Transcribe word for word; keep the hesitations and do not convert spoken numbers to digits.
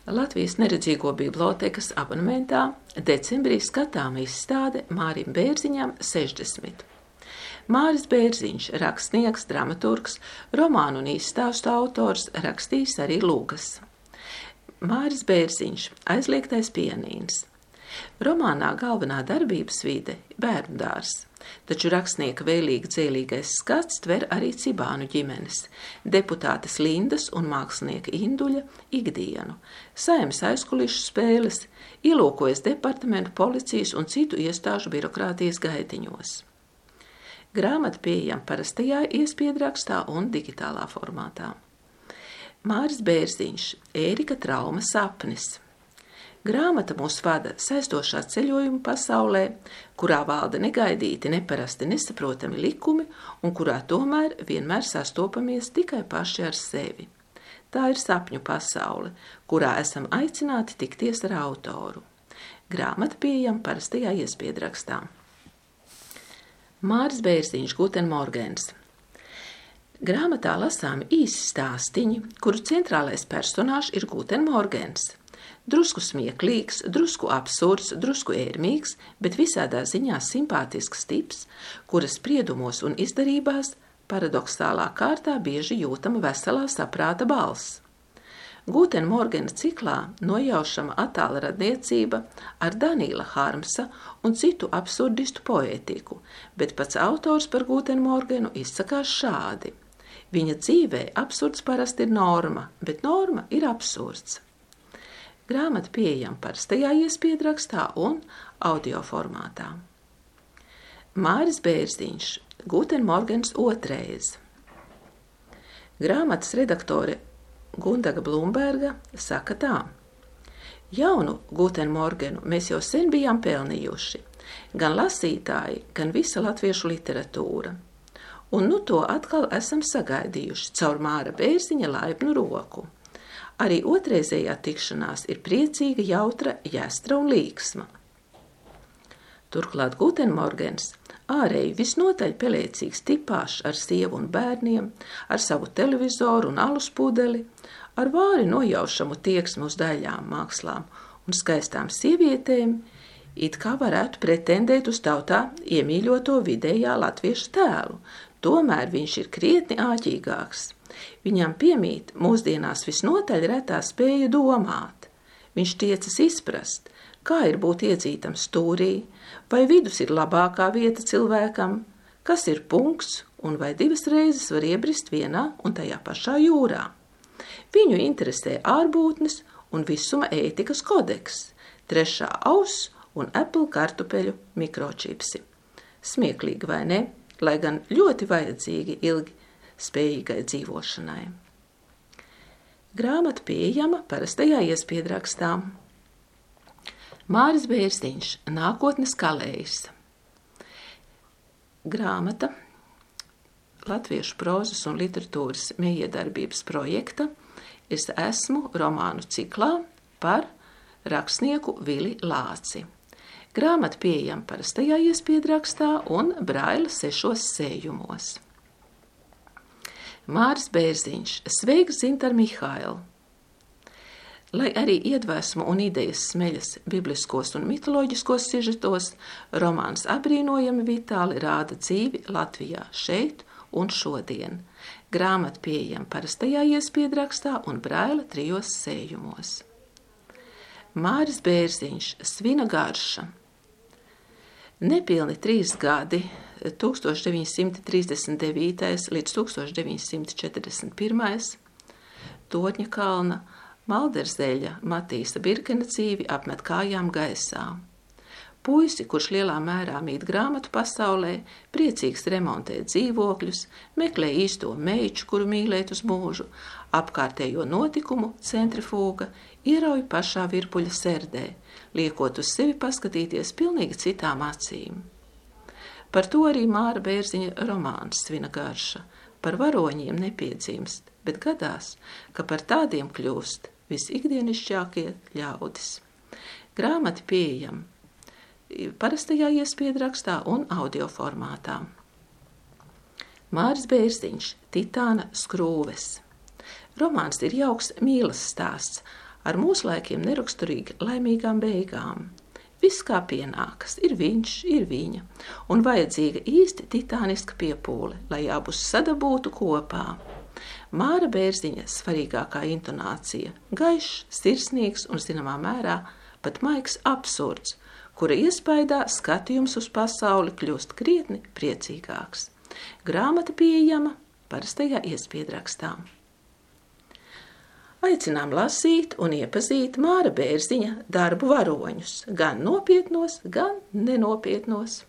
Latvijas neredzīgo bibliotekas abonementā decembrī skatām izstāde Mārim Bērziņam sešdesmit. Māris Bērziņš, rakstnieks, dramaturgs, romānu un izstāstu autors, rakstījis arī lūgas. Māris Bērziņš, Aizliegtais pianīns. Romānā galvenā darbības vide – bērndārs, taču rakstnieka vēlīgi dzēlīgais skats tver arī Cibānu ģimenes, deputātes Lindas un mākslinieka Induļa ikdienu, saeimas aizkulišu spēles, ielūkojas departamentu, policijas un citu iestāžu birokrātijas gaitiņos. Grāmata pieejama parastajā iespiedrakstā un digitālā formātā. Māris Bērziņš, Ērika Trauma sapnis. Grāmata mūs vada saistošā ceļojuma pasaulē, kurā valda negaidīti, neparasti, nesaprotami likumi un kurā tomēr vienmēr sastopamies tikai paši ar sevi. Tā ir sapņu pasaule, kurā esam aicināti tikties ar autoru. Grāmata pieejama parastajā iespiedrakstā. Māris Bērziņš, Guten Morgens. Grāmatā lasāmi īsi stāstiņi, kuru centrālais personāžs ir Guten Morgens. Drusku smieklīgs, drusku absurds, drusku ērmīgs, bet visādā ziņā simpātisks tips, kura spriedumos un izdarībās paradoxālā kārtā bieži jūtama veselā saprāta balss. Guten Morgena ciklā nojaušama attāla radniecība ar Danīla Harmsa un citu absurdistu poētiku, bet pats autors par Guten Morgenu izsakās šādi. Viņa dzīvē absurds parasti ir norma, bet norma ir absurds. Grāmata pieejama parastajā iespiedrakstā un audio formātā. Māris Bērziņš, Guten Morgens otrais. Grāmatas redaktore Gundaga Blumberga saka tā. Jaunu Guten Morgenu mēs jau sen bijām pelnījuši, gan lasītāji, gan visa latviešu literatūra. Un nu to atkal esam sagaidījuši caur Māra Bērziņa laipnu roku. Arī otrreizējā tikšanās ir priecīga, jautra, jāstra un līksma. Turklāt Guten Morgens ārēji visnotaļ pelēcīgs tipāšs ar sievu un bērniem, ar savu televizoru un alus pudeli, ar vāri nojaušamu tieksmu uz daļām, mākslām un skaistām sievietēm, it kā varētu pretendēt uz tautā iemīļoto vidējā latviešu tēlu, tomēr viņš ir krietni āķīgāks. Viņam piemīt mūsdienās visnotaļ retā spēja domāt. Viņš tiecas izprast, kā ir būt iedzītam stūrī, vai vidus ir labākā vieta cilvēkam, kas ir punkts un vai divas reizes var iebrist vienā un tajā pašā jūrā. Viņu interesē ārbūtnes un visuma ētikas kodeks, trešā auss un Apple kartupeļu mikročipsi. Smieklīgi vai ne, lai gan ļoti vajadzīgi ilgi spējīgai dzīvošanai. Grāmata pieejama parastajā iespiedrakstā. Māris Bērziņš, Nākotnes kalējs. Grāmata latviešu prozas un literatūras mijiedarbības projekta Es esmu romānu ciklā par rakstnieku Vili Lāci. Grāmata pieejama parastajā iespiedrakstā un Braila sešos sējumos. Māris Bērziņš, Sveiks, Zintar Mihaila. Lai arī iedvesmu un idejas smeļas bibliskos un mitoloģiskos sižetos, romāns apbrīnojami vitāli rāda dzīvi Latvijā šeit un šodien. Grāmata pieejama parastajā iespiedrakstā un Braila trijos sējumos. Māris Bērziņš, Svina garša. Nepilni trīs gadi, tūkstoš deviņi simti trīsdesmit devītais līdz tūkstoš deviņi simti četrdesmit pirmais, Torņa kalna, Malderzeļa, Matīsa Birkena dzīvi apmet kājām gaisā. Puisi, kurš lielā mērā mīt grāmatu pasaulē, priecīgs remontē dzīvokļus, meklē īsto meiču, kuru mīlēt uz mūžu, apkārtējo notikumu centrifūga, ierauj pašā virpuļa serdē, liekot uz sevi paskatīties pilnīgi citām acīm. Par to arī Māra Bērziņa romāns Svina garša. Par varoņiem nepiedzimst, bet gadās, ka par tādiem kļūst visikdienišķākie ļaudis. Grāmata pieejama parastajā iespiedrakstā un audio formātā. Māris Bērziņš, Titāna skrūves. Romāns ir jauks mīlas stāsts, ar mūslaikiem neraksturīgi laimīgām beigām. Viss kā pienākas, ir viņš, ir viņa, un vajadzīga īsti titāniska piepūle, lai abus sadabūtu kopā. Māra Bērziņa svarīgākā intonācija – gaišs, sirsnīgs un zināmā mērā pat maigs absurds, kura iespaidā skatījums uz pasauli kļūst krietni priecīgāks. Grāmata pieejama parastajā iespiedrakstā. Aicinām lasīt un iepazīt Māra Bērziņa darbu varoņus, gan nopietnos, gan nenopietnos.